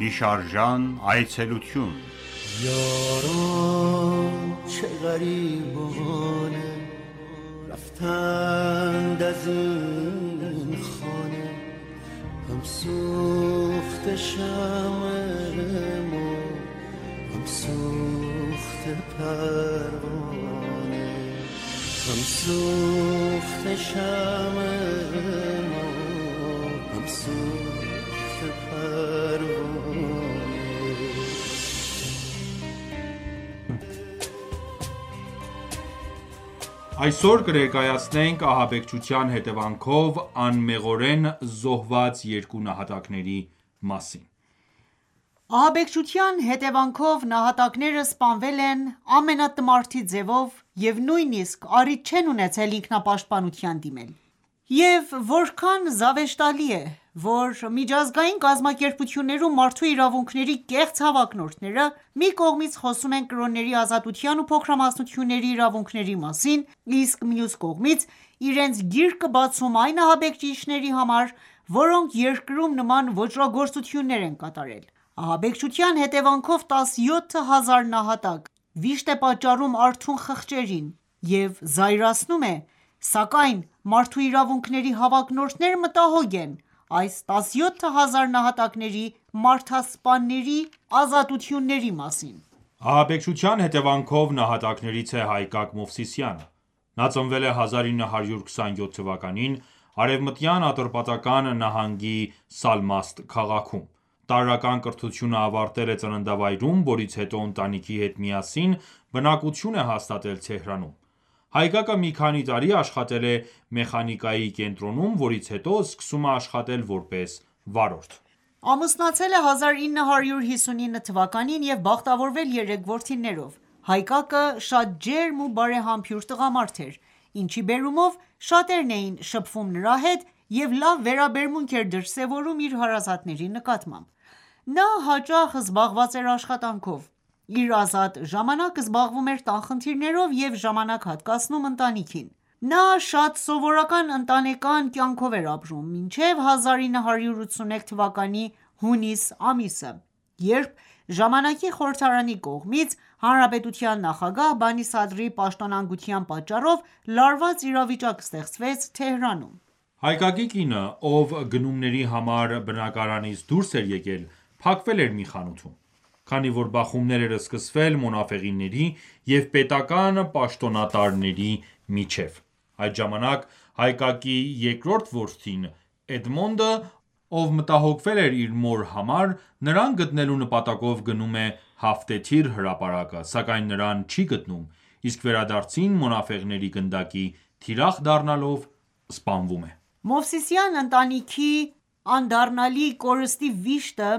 Հիշարժան այցելություն یاران چه غریبانه رفتند از این خانه هم سوخت شمع ما هم سوخت پروانه هم سوخت شمع ما هم سوخت پروانه Այսօր կներկայացնենք ահաբեկչության հետևանքով անմեղորեն զոհված երկու նահատակների մասին։ Ահաբեկչության հետևանքով նահատակները սպանվել են ամենատմարդի ձևով և նույնիսկ առիթ չեն ունեցել ինքնապաշտպանության դիմել։ Եվ որքան զավեշտալի է, որ միջազգային կազմակերպություններում մարդու իրավունքների կեղծ հավակնորդները մի կողմից խոսում են կրոնների ազատության ու փոքրամասնությունների իրավունքների մասին, իսկ մյուս կողմից իրենց գիրկը բացում այն ահաբեկիչների համար, որոնք երկրում նման ոճրագործություններ են կատարել։ Ահաբեկչության հետևանքով 17,000 նահատակ վիշտ է պատճառում արթուն խղճերին և զայրացնում է, սակայն մարդու իրավունքների հավակնորդները մտահոգ են այս 17,000 նահատակների մարդասպանների ազատությունների մասին։ Ահաբեկչության հետևանքով նահատակներից է Հայկակ Մովսիսյանը։ Նա ծնվել է 1927 թվականին Արևմտյան Ատրպատական նահանգի Սալմաստ քաղաքում։ Տարրական կրթությունը ավարտել է ծննդավայրում, որից հետո ընտանիքի հետ միասին բնակություն է հաստատել Թեհրանում։ Հայկակը մի քանի տարի աշխատել է մեխանիկայի կենտրոնում, որից հետո սկսում է աշխատել որպես վարորդ։ Ամուսնացել է 1959 թվականին և բախտավորվել 3 որդիներով։ Հայկակը շատ ջերմ ու բարեմաբույր տղամարդ էր, ինչի բերումով շատերն էին շփվում նրա հետ և լավ վերաբերմունք էր դրսևորում իր հարազատների նկատմամբ։ Նա հաճախ զբաղված էր աշխատանքով, իր ազատ ժամանակը զբաղվում էր տան խնդիրներով և ժամանակ հատկացնում ընտանիքին։ Նա շատ սովորական ընտանեկան կյանքով էր ապրում, մինչև 1981 թվականի հունիս ամիսը, երբ ժամանակի խորհրդարանի կողմից հանրապետության նախագահ Բանի Սադրի պաշտոնանկության պատճառով լարված իրավիճակ ստեղծվեց Թեհրանում։ Հայկակի կինը, ով գնումների համար բնակարանից դուրս էր եկել, փակվել էր մի խանութում, քանի որ բախումներ էր սկսվել մոնաֆեղիների և պետական պաշտոնատարների միջև։ Այդ ժամանակ Հայկակի երկրորդ որդին՝ Էդմոնդը, ով մտահոգվել էր իր մոր համար, նրան գտնելու նպատակով գնում է Հաֆթեթիր հրապարակը, սակայն նրան չի գտնում, իսկ վերադարձին մոնաֆեղների գնդակի թիրախ դառնալով սպանվում է։ Մովսիսյան ընտանիքի անդառնալի կորստի վիշտը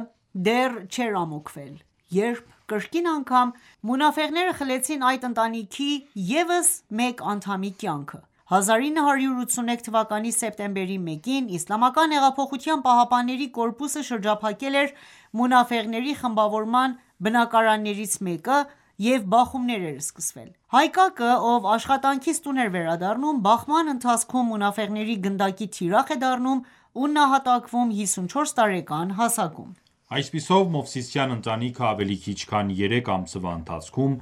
դեռ չէր ամոթվել, երբ կրկին անգամ մոնաֆեղները խլեցին այդ ընտանիքի ևս մեկ անդամի կյանքը։ 1981 թվականի սեպտեմբերի 1-ին Իսլամական հեղափոխության պահապանների կորպուսը շրջափակել էր մոնաֆեղների խմբավորման բնակարաններից մեկը և բախումներ էր սկսվել։ Հայկակը, ով աշխատանքից տուն էր վերադառնում, բախման ընթացքում մոնաֆեղների գնդակի թիրախ է դառնում ու նահատակվում 54 տարեկան հասակում։ Այսպիսով, Մովսիսյան ընտանիքը ավելի քիչ քան 3 ամսվա ընթացքում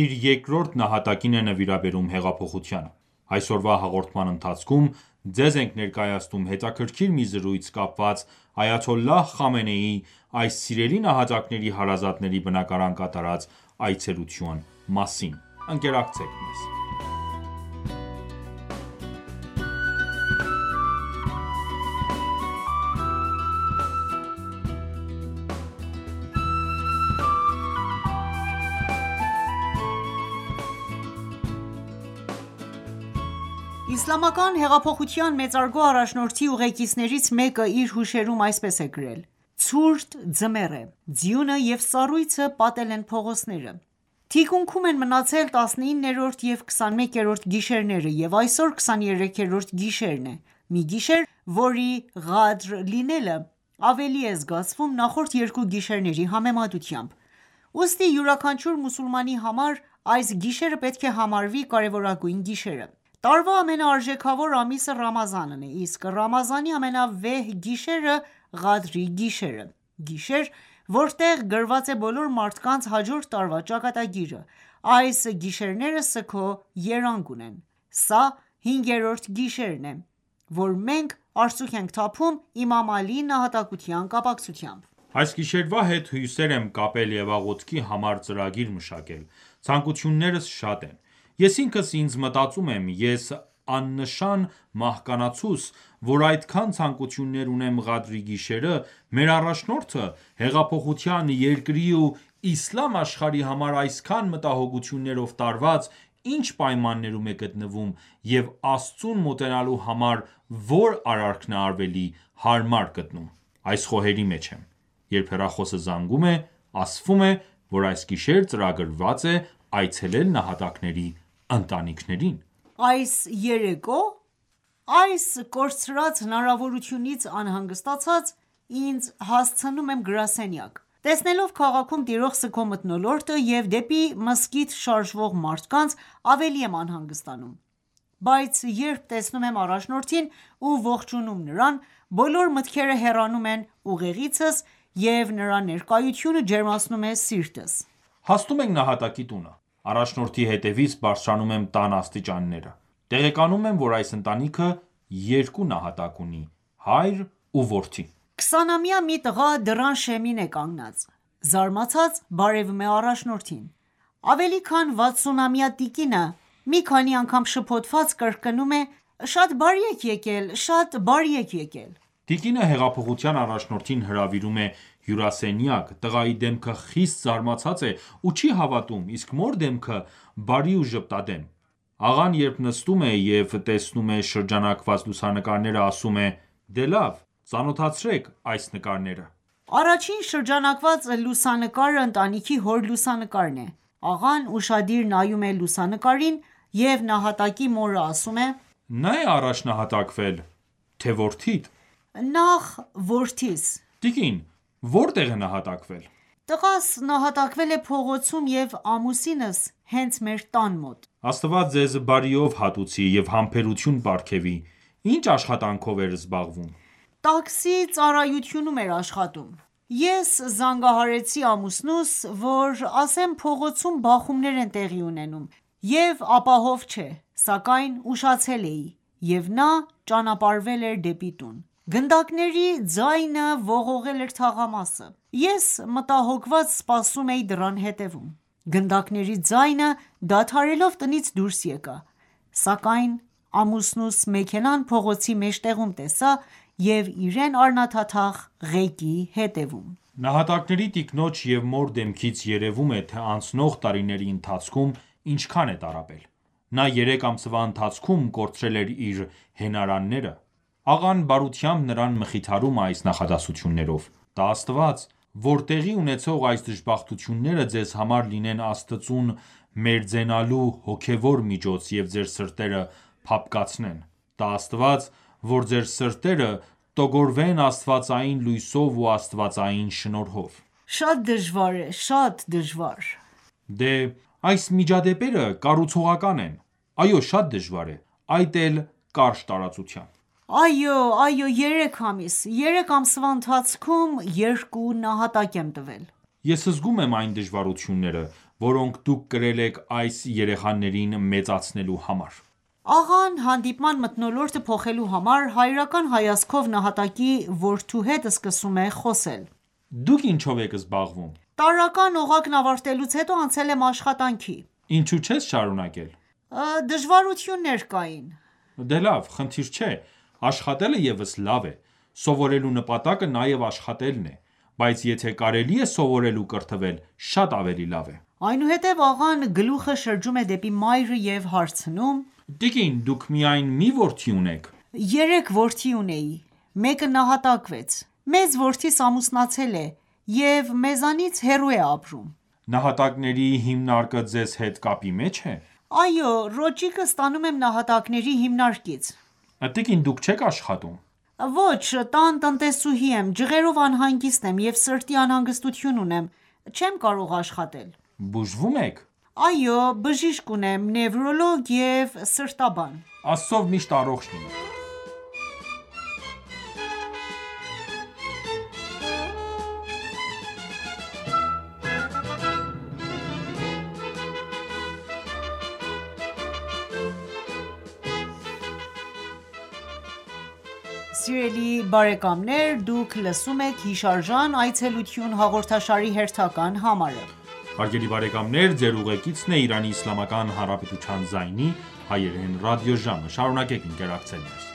իր երկրորդ նահատակին է նվիրաբերում հեղափոխությանը։ Այսօրվա հաղորդման ընթացքում ձեզ ենք ներկայացնում հետաքրքիր մի զրույց կապված այաթոլլահ Խամենեիի այս սիրելի նահատակների հարազատների բնակարան կատարած այցելության մասին։ Ընկերակցեք մեզ։ Իսլամական հեղափոխության մեծարգո առաջնորդի ուղեկիցներից մեկը իր հուշերում այսպես է գրել. «Ցուրտ ձմեռ է, ձյունը և սառույցը պատել են փողոցները։ Թիկունքում են մնացել 19-րդ և 21-րդ գիշերները և այսօր 23-րդ գիշերն է, մի գիշեր, որի ղադր լինելը ավելի է զգացվում նախորդ երկու գիշերների համեմատությամբ։ Ուստի յուրաքանչյուր մուսուլմանի համար այս գիշերը պետք է համարվի կարևորագույն գիշերը։ Տարվա ամենաարժեքավոր ամիսը Ռամազանն է, իսկ Ռամազանի ամենավեհ գիշերը Ղադրի գիշերը։ Գիշեր, որտեղ գրված է բոլոր մարդկանց հաջորդ տարվա ճակատագիրը: Այս գիշերները սգո երանգ ունեն: Սա հինգերորդ գիշերն է, որ մենք արցունք ենք թափում Իմամ Ալիի նահատակության կապակցությամբ: Այս գիշերվա հետ հույսեր եմ կապել և աղոթքի համար ծրագիր մշակել: Ցանկություններս շատ են: Ես ինքս ինձ մտածում եմ, ես աննշան մահկանացուս, որ այդքան ցանկություններ ունեմ Ղադրի գիշերը, մեր առաջնորդը հեղափոխության, երկրի ու իսլամ աշխարհի համար այսքան մտահոգություններով տարված, ինչ պայմաններում է գտնվում և Աստծուն մոտենալու համար որ արարքն է ավելի հարմար գտնում: Այս խոհերի մեջ եմ: Երբ հեռախոսը զանգում է, ասվում է, որ այս գիշեր ծրագրված է այցելել նահատակների ընտանիքներին: Այս երեկո՞: Այս կորցրած հնարավորությունից անհանգստացած, ինձ հասցնում եմ գրասենյակ: Տեսնելով քաղաքում տիրող սգո մթնոլորտը և դեպի մզկիթ շարժվող մարդկանց, ավելի եմ անհանգստանում: Բայց երբ տեսնում եմ առաջնորդին ու ողջունում նրան, բոլոր մտքերը հեռանում են ուղեղիցս և նրա ներկայությունը ջերմացնում է սիրտս: Հասնում ենք նահատակի տունը: Առաջնորդի հետևից բարձրանում եմ տան աստիճանները: Տեղեկանում եմ, որ այս ընտանիքը երկու նահատակ ունի՝ հայր ու որդի: 20-ամյա մի տղա դռան շեմին է կանգնած: Զարմացած բարևում է առաջնորդին: Ավելի քան 60-ամյա տիկինը մի քանի անգամ շփոթված կրկնում է. «Շատ բարի եք եկել, շատ բարի եք եկել»: Տիկինը հեղափոխության առաջնորդին հրավիրում է հյուրասենյակ: Տղայի դեմքը խիստ զարմացած է ու չի հավատում, իսկ մոր դեմքը բարի ու ժպտադեմ: Աղան երբ նստում է և տեսնում է շրջանակված լուսանկարները, ասում է. «Դե լավ, ծանոթացրեք այս նկարները»: Առաջին շրջանակված լուսանկարը ընտանիքի հոր լուսանկարն է: Աղան ուշադիր նայում է լուսանկարին և նահատակի մորը ասում է. «Նա է առաջ նահատակվել, թե որդիդ»: Նախ որդիս: Տիկին, որտեղ է նահատակվել: Տղաս նահատակվել է փողոցում և ամուսինս հենց մեր տան մոտ: Աստված ձեզ բարիով հատուցի և համբերություն պարգևի: Ինչ աշխատանքով էր զբաղվում: Տաքսի ծառայությունում էր աշխատում: Ես զանգահարեցի ամուսնուս, որ ասեմ փողոցում բախումներ են տեղի ունենում և ապահով չէ, սակայն ուշացել էի, և նա ճանապարհվել էր դեպի տուն: Գնդակների ձայնը ողողել էր թաղամասը: Ես մտահոգված սպասում էի դռան հետևում: Գնդակների ձայնը դադարելով տնից դուրս եկա: Սակայն ամուսնուս մեքենան փողոցի մեջտեղում տեսա և իրեն առնաթաթախ ղեկի հետևում: Նահատակների տիկնոջ և մոր դեմքից երևում է, թե անցնող տարիների ընթացքում ինչքան է տառապել: Նա 3 ամսվա ընթացքում կորցրել էր իր հենարանները: Աղան բարությամբ նրան մխիթարում է այս նախադասություններով. «Տա Աստված, որ տեղի ունեցող այս դժբախտությունները ձեզ համար լինեն Աստծուն մերձենալու հոգևոր միջոց և ձեր սրտերը փափկացնեն: Տա Աստված, որ ձեր սրտերը տոգորվեն աստվածային լույսով ու աստվածային շնորհով»: Շատ դժվար է, շատ դժվար: Դե, այս միջադեպերը կառուցողական են: Այո, շատ դժվար է, այդ էլ կարճ տարածությամբ: Այո, 3 ամիս: 3 ամսվա ընթացքում 2 նահատակ եմ տվել: Ես զգում եմ այն դժվարությունները, որոնք դուք կրել եք այս երեխաներին մեծացնելու համար: Աղան հանդիպման մթնոլորտը փոխելու համար հայրական հայացքով նահատակի որդու հետ սկսում է խոսել: Դուք ինչով եք զբաղվում: Տարրական օղակն ավարտելուց հետո անցել եմ աշխատանքի: Ինչու չես շարունակել: Դժվարություններ կային: Դե լավ, խնդիր չէ, աշխատելը ևս լավ է: Սովորելու նպատակը նաև աշխատելն է: Բայց եթե կարելի է սովորել ու կրթվել, շատ ավելի լավ է: Այնուհետև աղան գլուխը շրջում է դեպի մայրը և հարցնում. Տիկին, դուք միայն մի որդի ունեք: 3 որդի ունեի, մեկը նահատակվեց: Մեծ որդիս ամուսնացել է և մեզանից հեռու է ապրում: Նահատակների հիմնարկը ձեզ հետ կապի մեջ է: Այո, ռոճիկը ստանում եմ նահատակների հիմնարկից: Տիկին, դուք չեք աշխատում: Ոչ, տան տնտեսուհի եմ, ջղերով անհանգիստ եմ և սրտի անհանգստություն ունեմ, չեմ կարող աշխատել: Բուժվում եք: Այո, բժիշկ ունեմ, նևրոլոգ և սրտաբան: Աստծով միշտ առողջ լինեք: Սիրելի բարեկամներ, դուք լսում եք հիշարժան այցելություն հաղորդաշարի հերթական համարը։ Հարգելի բարեկամներ, ձեր ուղեկիցն է Իրանի Իսլամական Հանրապետության ձայնի հայերեն ռադիոժամը։ Շարունակեք ընկերակցել մեզ։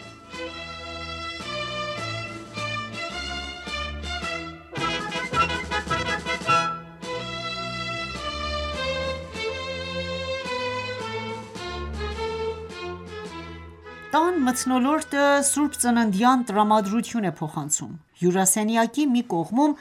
Տան մթնոլորտը Սուրբ Ծննդյան տրամադրություն է փոխանցում։ Հյուրասենյակի մի կողմում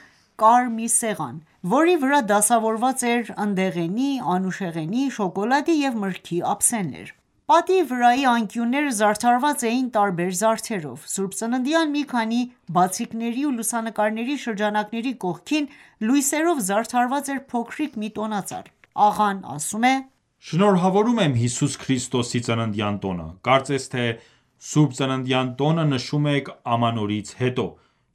կար մի սեղան, որի վրա դասավորված էր ընդեղենի, անուշեղենի, շոկոլադի և մրգի ափսեներ։ Պատի վրայի անկյունները զարդարված էին տարբեր զարդերով։ Սուրբ Ծննդյան մի քանի բացիկների ու լուսանկարների շրջանակների կողքին լույսերով զարդարված էր փոքրիկ մի տոնածառ։ Աղան ասում է. Շնորհավորում եմ Հիսուս Քրիստոսի ծննդյան տոնը։ Կարծես թե Սուրբ Ծննդյան տոնը նշում եք ամանորից հետո։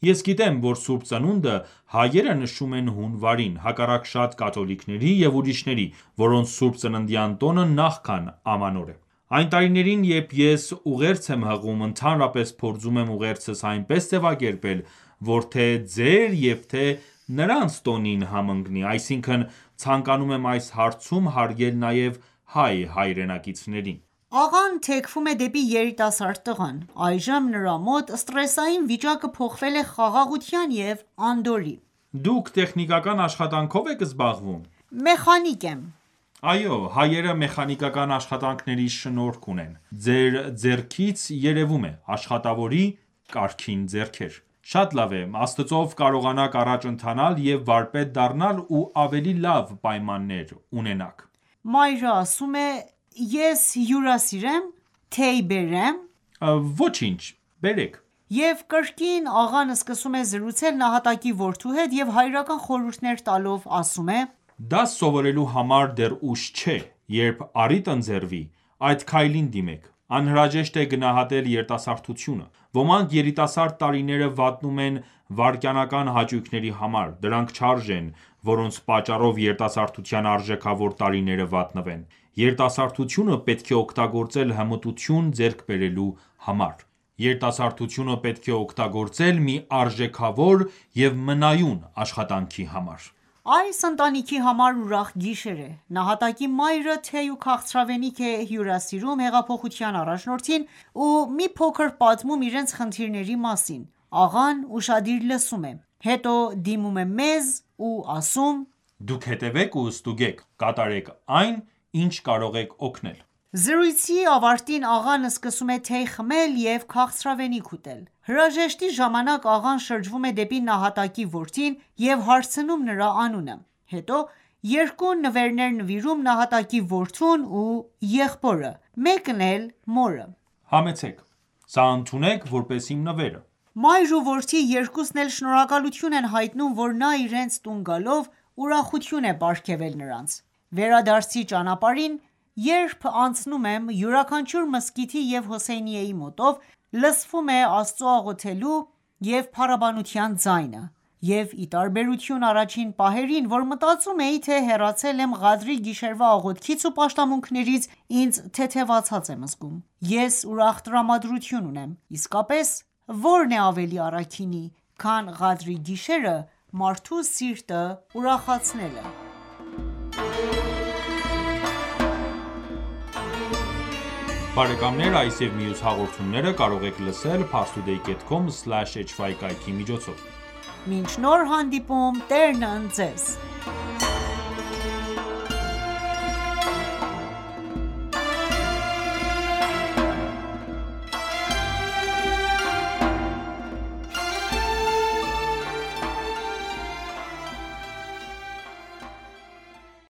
Ես գիտեմ, որ Սուրբ Ծնունդը հայերը նշում են հունվարին, հակառակ շատ կաթոլիկների և ուրիշների, որոնց Սուրբ Ծննդյան տոնը նախքան ամանոր է։ Այն տարիներին, երբ ես ուղերձ եմ հղում, ընդհանրապես փորձում եմ ուղերձս այնպես ձևակերպել, որ թե ձեր և թե նրանց տոնին համընկնի, այսինքն ցանկանում եմ այս հարցում հարգել նաև հայ հայրենակիցներին։ Աղան թեքվում է դեպի երիտասարդ տղան։ Այժմ նրա մոտ սթրեսային վիճակը փոխվել է խաղաղության և անդորրի։ Դուք տեխնիկական աշխատանքով եք զբաղվում։ Մեխանիկ եմ։ Այո, հայերը մեխանիկական աշխատանքների շնորհք ունեն։ Ձեր ձեռքից երևում է աշխատավորի կարգին ձեռքեր։ Շատ լավ է, Աստծով կարողանաք առաջ ընթանալ և վարպետ դառնալ ու ավելի լավ պայմաններ ունենաք։ Մայրը ասում է. Ես հյուրասիրեմ, թեյ բերեմ։ Ոչինչ, բերեք։ Եվ կրկին աղան սկսում է զրուցել նահատակի որդու հետ և հայրական խորհուրդներ տալով ասում է. Դաս սովորելու համար դեռ ուշ չէ, երբ առիթ ընձեռվի, այդ քայլին դիմեք։ Անհրաժեշտ է գնահատել երիտասարդությունը։ Ոմանք երիտասարդ տարիները վատնում են վայրկյանական հաճույքների համար, դրանք չարժ են, որոնց պատճառով երիտասարդության արժեքավոր տարիները վատնվեն։ Երիտասարդությունը պետք է օգտագործել հմտություն ձեռք բերելու համար։ Երիտասարդությունը պետք է օգտագործել մի արժեքավոր և մնայուն աշխատանքի համար։ Այս ընտանիքի համար ուրախ գիշեր է։ Նահատակի մայրը թեյ ու քաղցրավենիք է հյուրասիրում հեղափոխության առաջնորդին ու մի փոքր պատմում իրենց խնդիրների մասին։ Աղան ուշադիր լսում է, հետո դիմում է մեզ ու ասում. Դուք հետևեք ու ստուգեք, կատարեք այն, ինչ կարող եք օգնել։ Զրույցի ավարտին աղան սկսում է թեյ խմել և քաղցրավենիք ուտել։ Հրաժեշտի ժամանակ աղան շրջվում է դեպի նահատակի որդին և հարցնում նրա անունը։ Հետո երկու նվերներ նվիրում նահատակի որդուն ու եղբորը, մեկն էլ մորը։ Համեցեք, սա ընդունեք որպես իմ նվերը։ Մայր ու որդի երկուսն էլ շնորհակալություն են հայտնում, որ նա իրենց տուն գալով ուրախություն է պարգևել նրանց։ Վերադարձի ճանապարհին, երբ անցնում եմ յուրաքանչյուր մզկիթի և Հոսեյնիեի մոտով, լսվում է Աստծո աղոթելու և փառաբանության ձայնը, և ի տարբերություն առաջին պահերին, որ մտածում էի, թե հեռացել եմ Ղադրի գիշերվա աղոթքից ու պաշտամունքներից, ինձ թեթևացած եմ զգում։ Ես ուրախ տրամադրություն ունեմ։ Իսկապես, ո՞րն է ավելի առաքինի, քան Ղադրի գիշերը մարդու սիրտը ուրախացնելը։ Բարեկամներ, այս և մյուս հաղորդումները կարող եք լսել parstoday.com/hy կայքի միջոցով։ Մինչ նոր հանդիպում, Տերն ընդ ձեզ։